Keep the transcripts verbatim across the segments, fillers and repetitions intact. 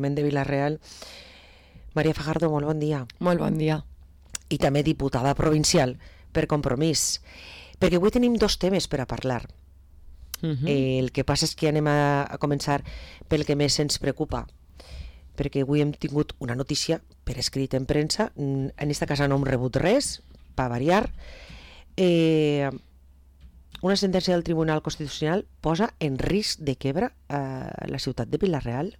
de Vila-real. Maria Fajardo, molt bon dia. Molt bon dia. I també diputada provincial per Compromís, perquè avui tenim dos temes per a parlar. Uh-huh. eh, el que passa és que anem a, a començar pel que més ens preocupa, perquè avui hem tingut una notícia per escrit en premsa. En esta casa no hem rebut res, per variar. Eh, una sentència del Tribunal Constitucional posa en risc de quebra eh, la ciutat de Vila-real.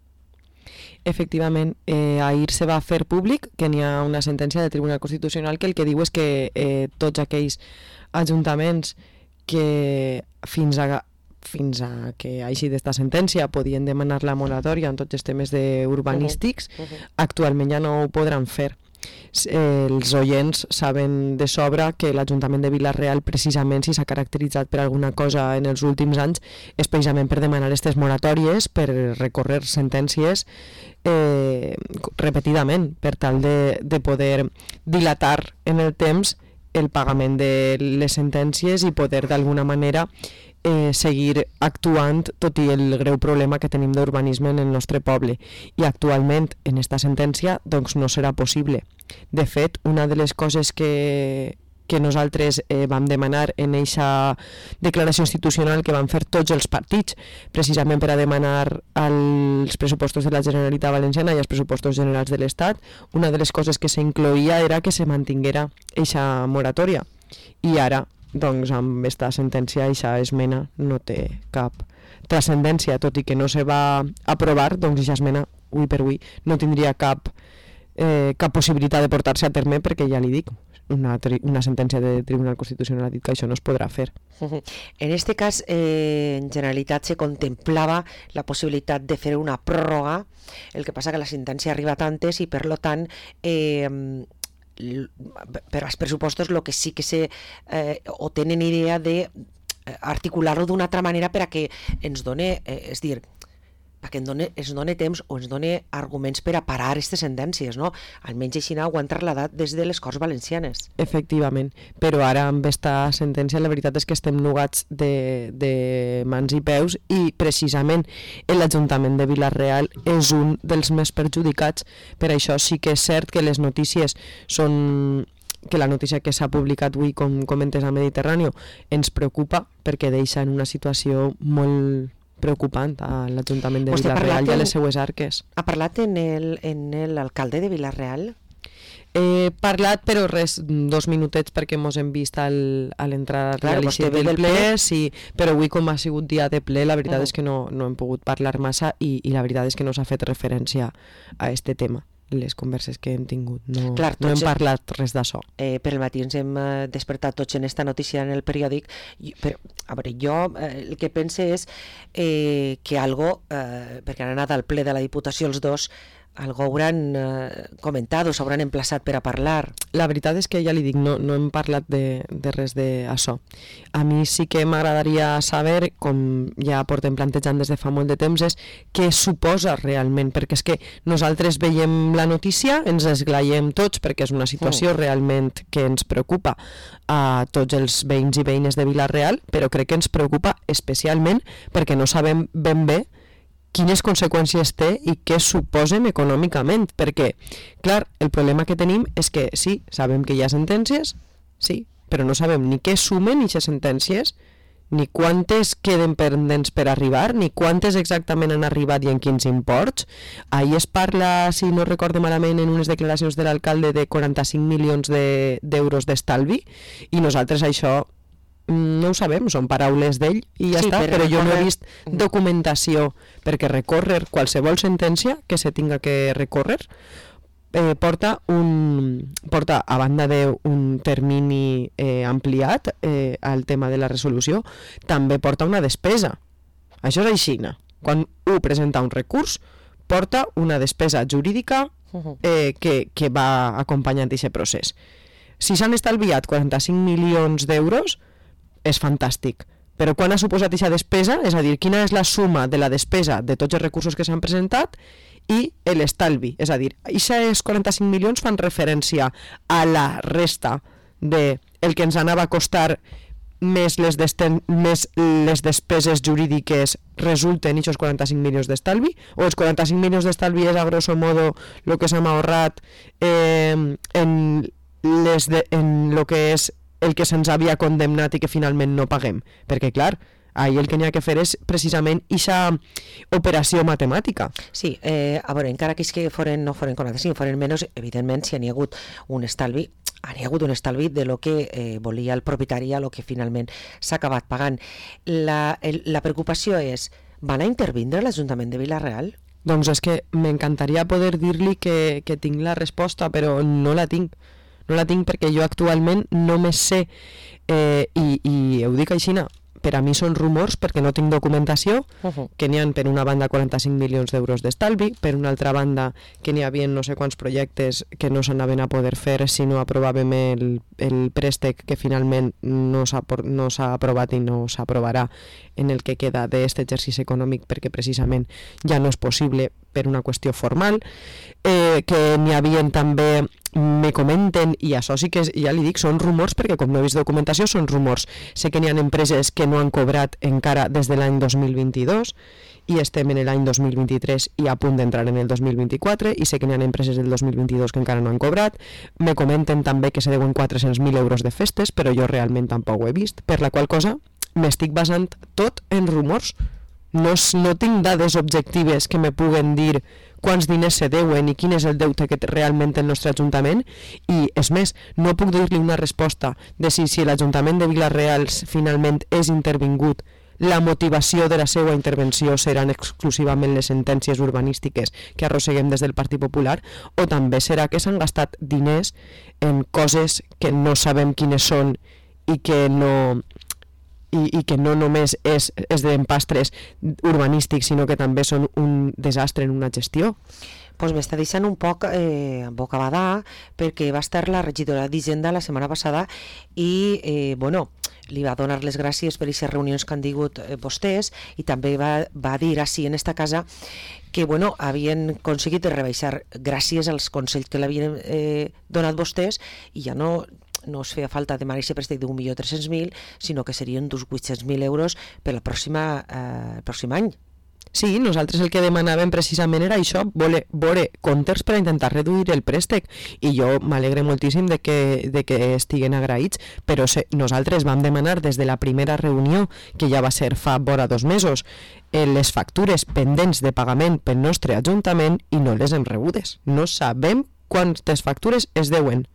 Efectivament, eh, ahir se va fer públic que n'hi ha una sentència del Tribunal Constitucional que el que diu és que eh, tots aquells ajuntaments que fins a, fins a que hagi d'esta sentència podien demanar la moratòria en tots els temes de urbanístics, uh-huh. Uh-huh. actualment ja no ho podran fer. Eh, els oients saben de sobra que l'Ajuntament de Vila-real, precisament, si s'ha caracteritzat per alguna cosa en els últims anys, és precisament per demanar aquestes moratòries, per recórrer sentències eh, repetidament, per tal de, de poder dilatar en el temps el pagament de les sentències i poder d'alguna manera Eh, seguir actuant tot i el greu problema que tenim d'urbanisme en el nostre poble. I actualment en esta sentència doncs no serà possible. De fet, una de les coses que, que nosaltres eh, vam demanar en eixa declaració institucional que van fer tots els partits, precisament per a demanar als pressupostos de la Generalitat Valenciana i als pressupostos generals de l'Estat, una de les coses que s'incloïa era que se mantinguera eixa moratòria. I ara doncs amb aquesta sentència aquesta esmena no té cap transcendència, tot i que no se va aprovar, doncs aquesta esmena avui per avui no tindria cap eh, cap possibilitat de portar-se a terme, perquè ja li dic, una, una sentència del Tribunal Constitucional ha dit que això no es podrà fer. En este cas, eh, en Generalitat se contemplava la possibilitat de fer una pròrroga, el que passa que la sentència arriba tantes i per lo tant eh, per als pressupostos el que sí que se eh, o tenen idea de articular-ho d'una altra manera per a que ens done, eh, és dir, perquè ens done, ens done temps o ens done arguments per a parar aquestes sentències, no? Almenys així ho han trasladat des de les Corts Valencianes. Efectivament, però ara amb aquesta sentència la veritat és que estem nugats de, de mans i peus i precisament l'Ajuntament de Vila-real és un dels més perjudicats. Per això sí que és cert que les notícies són... que la notícia que s'ha publicat avui, com comentes a Mediterrani, ens preocupa perquè deixa en una situació molt preocupant a l'Ajuntament de Vila-real i a les seues arques. Ha parlat en l'alcalde de Vila-real? He parlat, però res, dos minutets perquè mos hem vist al, a l'entrada claro, del ple, del ple. Sí, però avui com ha sigut dia de ple, la veritat uh-huh. és que no, no hem pogut parlar massa i, i la veritat és que no s'ha fet referència a este tema. Les converses que hem tingut, no, Clar, no hem parlat res d'això. Eh, per el matí ens hem eh, despertat tots en esta notícia en el periòdic, i, però, a veure, jo eh, el que pense és eh, que algo, eh, perquè han anat al ple de la Diputació els dos, algo hauran eh, comentat o s'hauran emplaçat per a parlar. La veritat és que ja li dic, no, no hem parlat de, de res d'això. A mi sí que m'agradaria saber, com ja portem plantejant des de fa molt de temps, és què suposa realment, perquè és que nosaltres veiem la notícia, ens esglaiem tots, perquè és una situació mm. realment que ens preocupa a tots els veïns i veïnes de Vila-real, però crec que ens preocupa especialment perquè no sabem ben bé quines conseqüències té i què suposen econòmicament, perquè, clar, el problema que tenim és que sí, sabem que hi ha sentències, sí, però no sabem ni què sumen aquestes sentències, ni quantes queden pendents per arribar, ni quantes exactament han arribat i en quins imports. Ahir es parla, si no recorde malament, en unes declaracions de l'alcalde de quaranta-cinc milions d'euros de, d'estalvi, i nosaltres això no ho sabem, són paraules d'ell i ja sí, està, però, però jo no he vist documentació perquè recórrer qualsevol sentència que se tinga que recórrer eh, porta un porta a banda d'un termini eh, ampliat eh, al tema de la resolució, també porta una despesa. Això és així, quan un presenta un recurs porta una despesa jurídica eh, que, que va acompanyant aquest procés. Si s'han estalviat quaranta-cinc milions d'euros és fantàstic, però quan ha suposat aquesta despesa, és a dir, quina és la suma de la despesa de tots els recursos que s'han presentat i l'estalvi, és a dir, aquests quaranta-cinc milions fan referència a la resta de el que ens anava a costar més les, desten, més les despeses jurídiques resulten aquests quaranta-cinc milions d'estalvi, o els quaranta-cinc milions d'estalvi és a grosso modo el que s'ha ahorrat eh, en, les de, en lo que és el que se'ns havia condemnat i que finalment no paguem, perquè clar, ahir el que n'hi ha que fer és precisament aquesta operació matemàtica. Sí, eh, a veure, encara que és que foren, no foren quaranta-cinc, foren menys, evidentment, si n'hi ha hagut un estalvi, hi ha hagut un estalvi de lo que eh, volia el propietari, a lo que finalment s'ha acabat pagant. La, el, la preocupació és, van a intervindre l'Ajuntament de Vila-real? Doncs és que m'encantaria poder dir-li que, que tinc la resposta, però no la tinc. No la tinc perquè jo actualment només sé, eh, i, i ho dic així, per a mi són rumors perquè no tinc documentació, uh-huh. que n'hi ha per una banda quaranta-cinc milions d'euros d'estalvi, per una altra banda que n'hi havia no sé quants projectes que no s'anaven a poder fer si no aprovàvem el, el préstec que finalment no s'ha, no s'ha aprovat i no s'aprovarà en el que queda d'aquest exercici econòmic perquè precisament ja no és possible per una qüestió formal, eh, que n'hi havia també, me comenten, i això sí que és, ja li dic, són rumors perquè com no he vist documentació són rumors. Sé que n'hi ha empreses que no han cobrat encara des de l'any dos mil vint-i-dos i estem en l'any dos mil vint-i-tres i a punt d'entrar en el dos mil vint-i-quatre, i sé que n'hi ha empreses del dos mil vint-i-dos que encara no han cobrat. Me comenten també que se deuen quatre-cents mil euros de festes, però jo realment tampoc ho he vist, per la qual cosa m'estic basant tot en rumors. No, no tinc dades objectives que me puguen dir quants diners se deuen i quin és el deute que té realment el nostre Ajuntament, i és més, no puc dir-li una resposta de si, si l'Ajuntament de Vila-real finalment és intervingut, la motivació de la seva intervenció seran exclusivament les sentències urbanístiques que arrosseguem des del Partit Popular, o també serà que s'han gastat diners en coses que no sabem quines són i que no... I, i que no només és, és d'empastres urbanístics, sinó que també són un desastre en una gestió. Pues m'està deixant un poc eh, bocabadà, perquè va estar la regidora d'Hisenda la setmana passada i, eh, bueno, li va donar les gràcies per aquestes reunions que han tingut eh, vostès, i també va, va dir així en esta casa que, bueno, havien aconseguit rebaixar gràcies als consells que l'havien eh, donat vostès, i ja no... no es feia falta demanar aquest préstec d'un milió tres-cents mil, sinó que serien d'uns vuit-cents mil euros per la pròxima, eh, el pròxim any. Sí, nosaltres el que demanàvem precisament era això, voler, veure comptes per a intentar reduir el préstec, i jo m'alegre moltíssim de que, de que estiguen agraïts, però se, nosaltres vam demanar des de la primera reunió, que ja va ser fa vora dos mesos, eh, les factures pendents de pagament pel nostre Ajuntament i no les hem rebudes. No sabem quantes factures es deuen.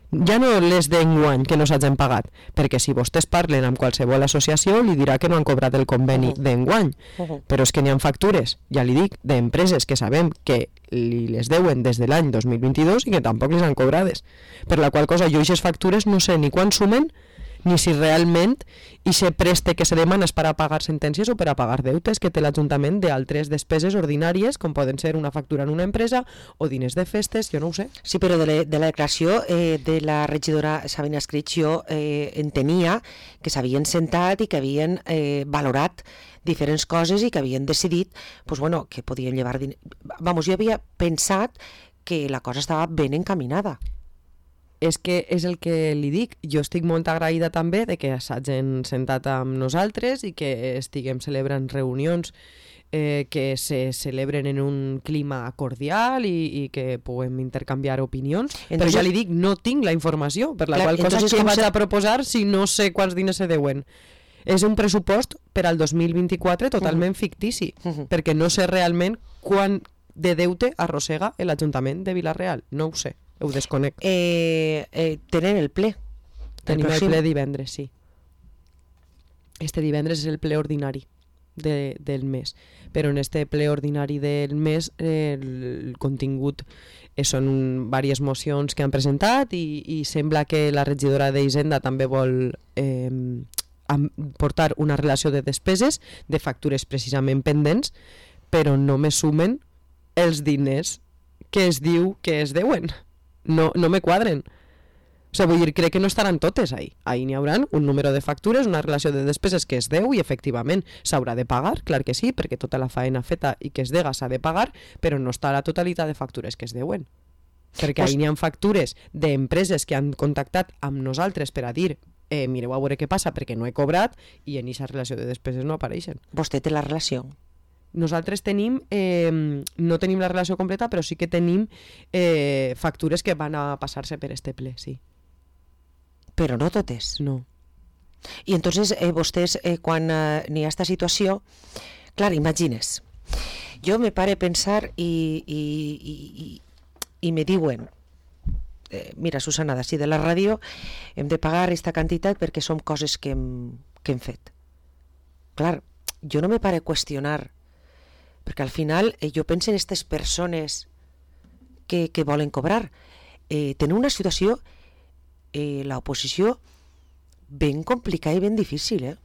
Ja no les d'enguany que no s'hagin pagat, perquè si vostès parlen amb qualsevol associació li dirà que no han cobrat el conveni uh-huh. d'enguany, uh-huh. però és que n'hi ha factures, ja li dic, d'empreses que sabem que li les deuen des de l'any dos mil vint-i-dos i que tampoc les han cobrades, per la qual cosa jo aquestes factures no sé ni quan sumen ni si realment i se preste que se demana és per a pagar sentències o per a pagar deutes que té l'Ajuntament d'altres despeses ordinàries, com poden ser una factura en una empresa o diners de festes, jo no ho sé. Sí, però de la, de la declaració eh, de la regidora Sabina Escrig jo eh, entenia que s'havien sentat i que havien eh, valorat diferents coses i que havien decidit pues, bueno, que podien llevar diners. Vamos, jo havia pensat que la cosa estava ben encaminada. És que és el que li dic, jo estic molt agraïda també de que s'hagin sentat amb nosaltres i que estiguem celebrant reunions eh, que se celebren en un clima cordial i, i que puguem intercanviar opinions, entonces, però ja li dic, no tinc la informació, per la clar, qual cosa que vaig se... a proposar si no sé quants diners se deuen. És un pressupost per al dos mil vint-i-quatre totalment uh-huh. fictici, uh-huh. perquè no sé realment quant de deute arrossega l'Ajuntament de Vila-real, no ho sé. Ho desconec. Eh, eh, tenen el ple. Tenim el, el ple divendres, sí. Este divendres és el ple ordinari de, del mes. Però en este ple ordinari del mes eh, el, el contingut eh, són diverses mocions que han presentat i, i sembla que la regidora d'Hisenda també vol eh, portar una relació de despeses, de factures precisament pendents, però no me sumen els diners que es diu que es deuen. No, no me quadren. O sigui, vull dir, crec que no estaran totes ahí. Ahí n'hi haurà un número de factures, una relació de despeses que es deu i efectivament s'haurà de pagar, clar que sí, perquè tota la faena feta i que es dega s'ha de pagar, però no està la totalitat de factures que es deuen. Perquè pues... ahí n'hi ha factures d'empreses que han contactat amb nosaltres per a dir eh, mireu a veure què passa perquè no he cobrat, i en aquesta relació de despeses no apareixen. Vostè té la relació? Nosaltres tenim, eh, no tenim la relació completa, però sí que tenim eh, factures que van a passar-se per este ple, sí. Però no totes? No. I entonces eh, vostès, eh, quan eh, n'hi ha aquesta situació, clar, imagines, jo me pare a pensar i, i, i, i, i me diuen, eh, mira, Susana, d'ací de la ràdio hem de pagar aquesta quantitat perquè són coses que hem, que hem fet. Clar, jo no me pare a qüestionar, perquè al final eh, jo penso en aquestes persones que, que volen cobrar. Eh, tenen una situació, eh, l'oposició, ben complicada i ben difícil, eh?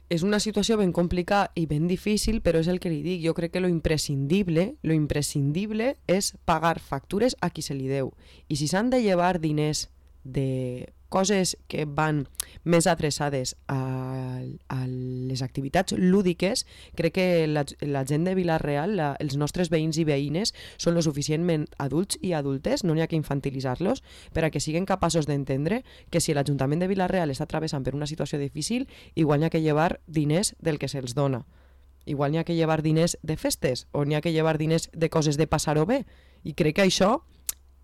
És una situació ben complicada i ben difícil, però és el que li dic. Jo crec que lo imprescindible, lo imprescindible és pagar factures a qui se li deu. I si s'han de llevar diners de coses que van més adreçades a, a les activitats lúdiques, crec que la, la gent de Vila-real, la, els nostres veïns i veïnes, són lo suficientment adults i adultes, no n'hi ha que infantilitzar-los, per a que siguin capaços d'entendre que si l'Ajuntament de Vila-real està travessant per una situació difícil, igual n'hi ha que llevar diners del que se'ls dona. Igual n'hi ha que llevar diners de festes, o n'hi ha que llevar diners de coses de passar-ho bé. I crec que això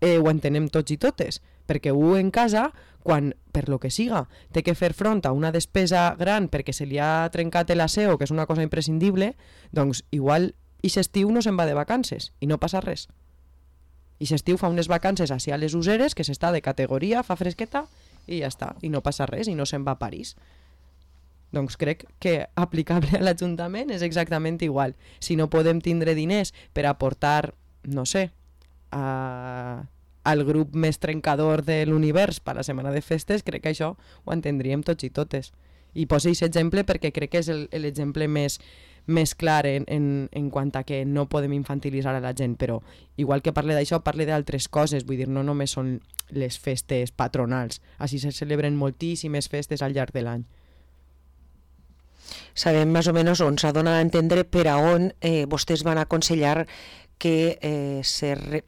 eh, ho entenem tots i totes, perquè un en casa, quan, per lo que siga, té que fer front a una despesa gran perquè se li ha trencat l'aseo, que és una cosa imprescindible, doncs igual i s'estiu no se'n va de vacances i no passa res. I s'estiu fa unes vacances així a les useres, que s'està de categoria, fa fresqueta i ja està, i no passa res i no se'n va a París. Doncs crec que aplicable a l'Ajuntament és exactament igual. Si no podem tindre diners per aportar, no sé, a... al grup més trencador de l'univers per la setmana de festes, crec que això ho entendríem tots i totes. I poso aquest exemple perquè crec que és l'exemple més, més clar en, en, en quant a que no podem infantilitzar a la gent, però igual que parle d'això, parle d'altres coses, vull dir, no només són les festes patronals, així se celebren moltíssimes festes al llarg de l'any. Sabem més o menys on s'ha donat a entendre per a on eh, vostès van aconsellar que eh, se re...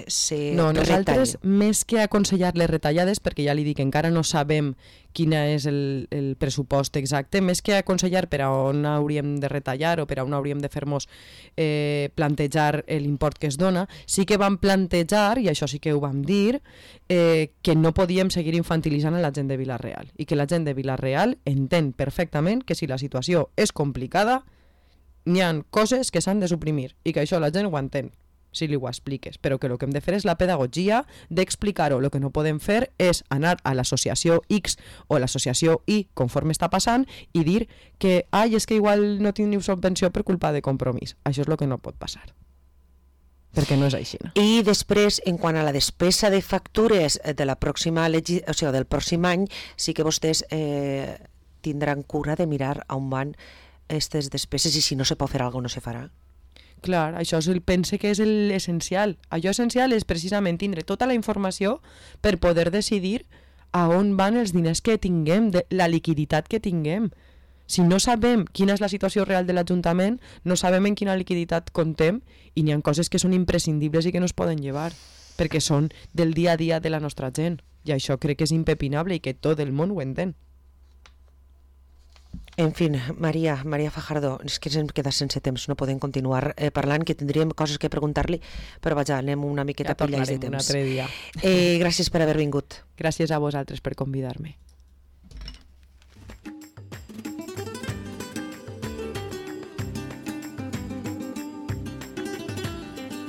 Se no, nosaltres retalla. Més que aconsellar les retallades, perquè ja li dic, encara no sabem quin és el, el pressupost exacte, més que aconsellar per a on hauríem de retallar o per a on hauríem de fer-nos eh, plantejar l'import que es dona, sí que vam plantejar, i això sí que ho vam dir, eh, que no podíem seguir infantilitzant a la gent de Vila-real i que la gent de Vila-real entén perfectament que si la situació és complicada n'hi ha coses que s'han de suprimir i que això la gent ho entén si li ho expliques, però que el que hem de fer és la pedagogia d'explicar-ho. El que no podem fer és anar a l'associació X o l'associació Y, conforme està passant, i dir que, ai, és que igual no teniu subvenció per culpa de Compromís. Això és el que no pot passar, perquè no és així. No? I després, en quant a la despesa de factures de la pròxima legi... o sigui, del pròxim any, sí que vostès eh, tindran cura de mirar on van aquestes despeses i si no se pot fer alguna cosa no se farà. Clar, això és el, pense que és l'essencial. Allò essencial és precisament tindre tota la informació per poder decidir a on van els diners que tinguem, de la liquiditat que tinguem. Si no sabem quina és la situació real de l'Ajuntament, no sabem en quina liquiditat comptem i n'hi ha coses que són imprescindibles i que no es poden llevar, perquè són del dia a dia de la nostra gent. I això crec que és impepinable i que tot el món ho entén. En fi, Maria, Maria Fajardo, és que ens hem quedat sense temps, no podem continuar eh, parlant, que tindríem coses que preguntar-li, però vaja, anem una miqueta ja pillats de temps. Un altre dia. Eh, gràcies per haver vingut. Gràcies a vosaltres per convidar-me.